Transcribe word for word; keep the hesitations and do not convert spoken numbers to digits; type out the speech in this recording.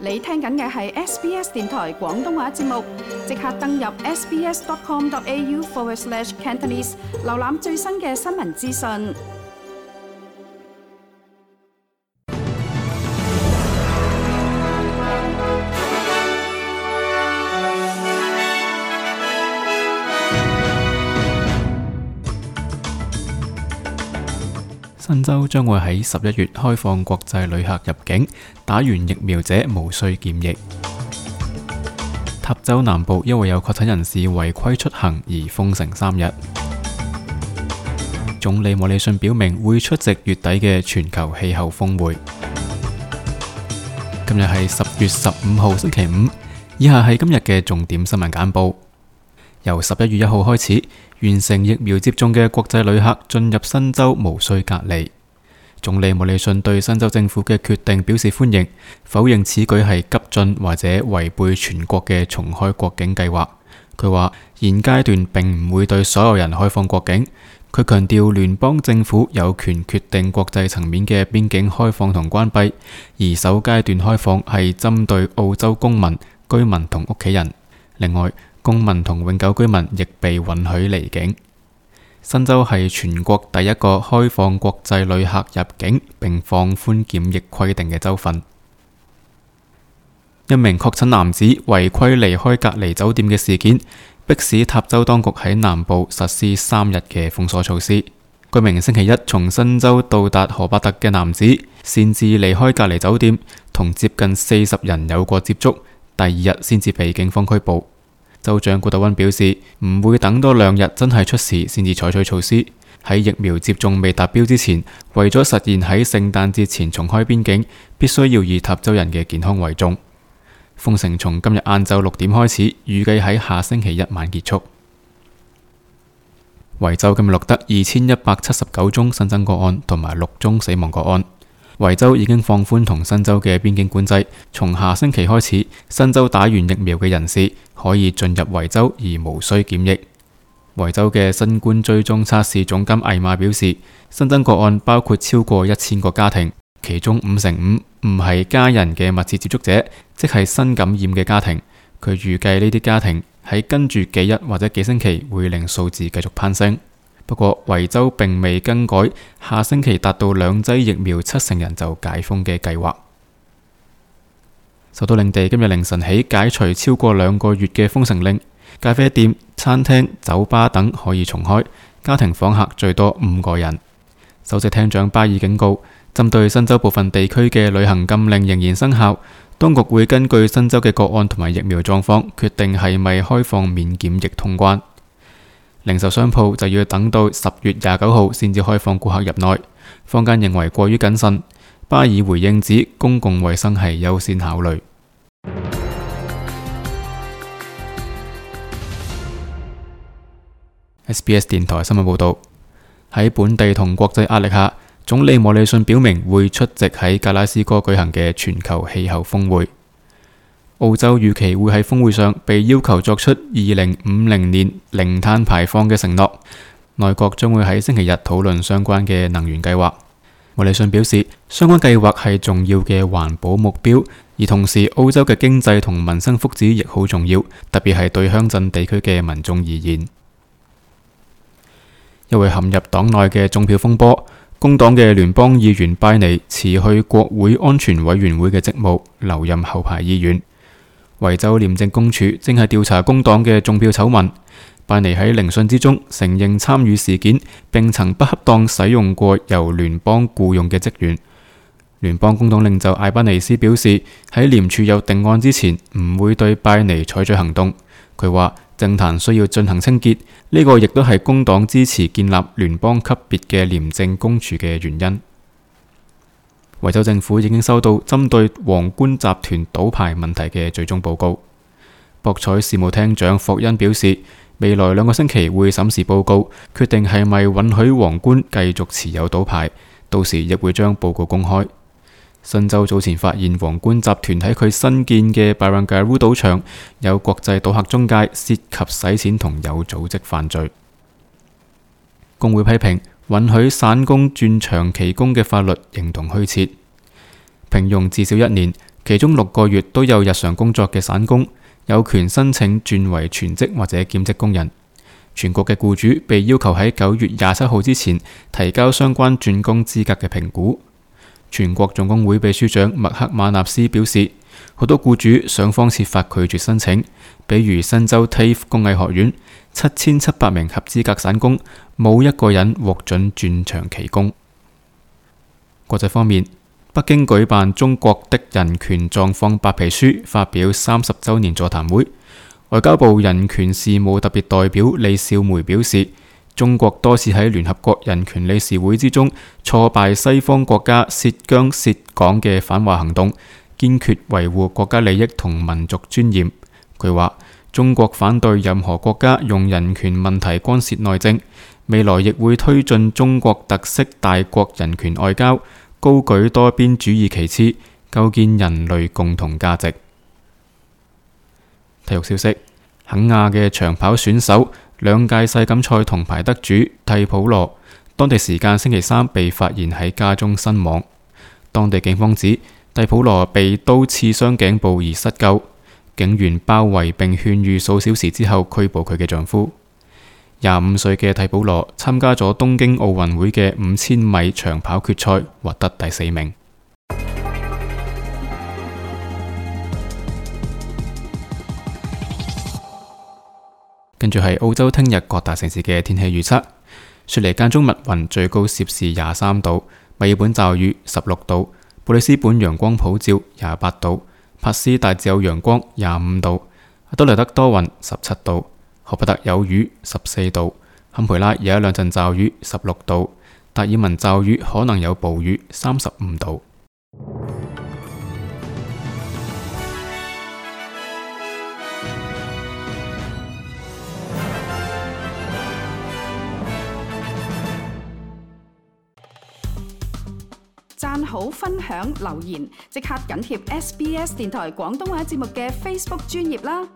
你聽緊嘅係 S B S 電台廣東話節目，即刻登入 sbs.com.au forward slash Cantonese， 瀏覽最新嘅新聞資訊。新州將會喺十一月開放國際旅客入境，打完疫苗者無需檢疫。塔州南部因為有確診人士違規出行而封城三日。總理莫里遜表明會出席月底嘅全球氣候峰會。今日係十月十五號星期五，以下係今日嘅重點新聞簡報。由十一月一號開始，完成疫苗接種嘅國際旅客進入新州無需隔離。總理莫里遜對新州政府嘅決定表示歡迎，否認此舉係急進或者違背全國嘅重開國境計劃。佢話現階段並唔會對所有人開放國境。佢強調聯邦政府有權決定國際層面嘅邊境開放同關閉，而首階段開放係針對澳洲公民、居民同屋企人。另外，公民同永久居民亦被允許離境。新州係全國第一個開放國際旅客入境並放寬檢疫規定嘅州份。一名確診男子違規離開隔離酒店嘅事件，迫使塔州當局喺南部實施三日嘅封鎖措施。該名星期一從新州到達荷伯特嘅男子擅自離開隔離酒店，同接近四十人有過接觸，第二日先至被警方拘捕。州長古特溫表示，唔會等多兩日真係出事先至採取措施。喺疫苗接種未達標之前，為咗實現喺聖誕節前重開邊境，必須要以塔州人嘅健康為重。封城從今日晏晝六點開始，預計喺下星期一晚結束。維州今日錄得二千一百七十九宗新增個案同埋六宗死亡個案。維州已經放寬同新州嘅邊境管制，從下星期開始，新州打完疫苗嘅人士可以進入維州而無需檢疫。維州嘅新冠追蹤測試總監艾瑪表示，新增個案包括超過一千個家庭，其中五成五唔係家人嘅密切接觸者，即係新感染嘅家庭。佢預計呢啲家庭喺跟住幾日或者幾星期會令數字繼續攀升。不過，維州並未更改下星期達到兩劑疫苗七成人就解封嘅計劃。首都領地今日凌晨起解除超過兩個月嘅封城令，咖啡店、餐廳、酒吧等可以重開，家庭訪客最多五個人。首席廳長巴爾警告，針對新州部分地區嘅旅行禁令仍然生效，當局會根據新州嘅個案同埋疫苗狀況，決定係咪開放免檢疫通關。零售商鋪就要等到十月廿九號先至開放顧客入內，坊間認為過於謹慎。巴爾回應指公共衛生係優先考慮。S B S 電台新聞報道，喺本地同國際壓力下，總理莫里遜表明會出席喺格拉斯哥舉行嘅全球氣候峰會。澳洲預期會喺峰會上被要求作出二零五零年零碳排放嘅承諾。內閣將會喺星期日討論相關嘅能源計劃。莫里遜表示，相關計劃係重要嘅環保目標，而同時澳洲嘅經濟同民生福祉亦好重要，特別係對鄉鎮地區嘅民眾而言。因為陷入黨內嘅種票風波，工黨嘅聯邦議員拜尼辭去國會安全委員會嘅職務，留任後排議員。維州廉政公署正係調查工黨嘅種票醜聞。拜尼喺聆訊之中承認參與事件，並曾不恰當使用過由聯邦僱用嘅職員。聯邦工黨領袖艾班尼斯表示，喺廉署有定案之前，唔會對拜尼採取行動。佢話政壇需要進行清潔，呢個亦都係工黨支持建立聯邦級別嘅廉政公署嘅原因。維州政府已經收到針對皇冠集團賭牌問題嘅最終報告。博彩事務廳長霍恩表示，未來兩個星期會審視報告，決定係咪允許皇冠繼續持有賭牌，到時亦會將報告公開。新州早前發現皇冠集團喺佢新建嘅 Barangaroo 賭場有國際賭客中介涉及洗錢同有組織犯罪。工會批評允許散工轉長期工嘅法律形同虛設。聘用至少一年，其中六個月都有日常工作嘅散工有權申請轉為全職或者兼職工人。全國嘅僱主被要求喺九月廿七號之前提交相關轉工資格嘅評估。全國總工會秘書長麥克馬納斯表示，好多僱主想方設法拒絕申請，比如新州 T A F E 工藝學院七千七百名合資格散工，冇一個人獲准轉長期工。國際方面，北京舉辦中國的人權狀況白皮書發表三十週年座談會。外交部人權事務特別代表李少梅表示，中國多次喺聯合國人權理事會之中挫敗西方國家涉疆涉港嘅反華行動，堅決維護國家利益同民族尊嚴。佢話，中國反對任何國家用人權問題干涉內政，未來亦會推進中國特色大國人權外交，高舉多邊主義旗幟，構建人類共同價值。體育消息，肯亞嘅長跑選手兩屆世錦賽銅牌得主蒂普羅，當地時間星期三被發現喺家中身亡。當地警方指蒂普羅被刀刺傷頸部而失救，警員包圍並勸喻數小時之後拘捕佢嘅丈夫。廿五歲嘅蒂普羅參加咗東京奧運會嘅五千米長跑決賽，獲得第四名。跟住係澳洲聽日各大城市嘅天氣預測：雪梨間中密雲，最高攝氏廿三度；墨爾本驟雨十六度；布里斯本陽光普照廿八度；珀斯大致有陽光廿五度；阿德萊德多雲十七度；荷伯特有雨十四度；坎培拉有一兩陣驟雨十六度；達爾文驟雨可能有暴雨三十五度。讚好、分享、留言，即刻緊貼 S B S 電台廣東話節目嘅 Facebook 專頁啦！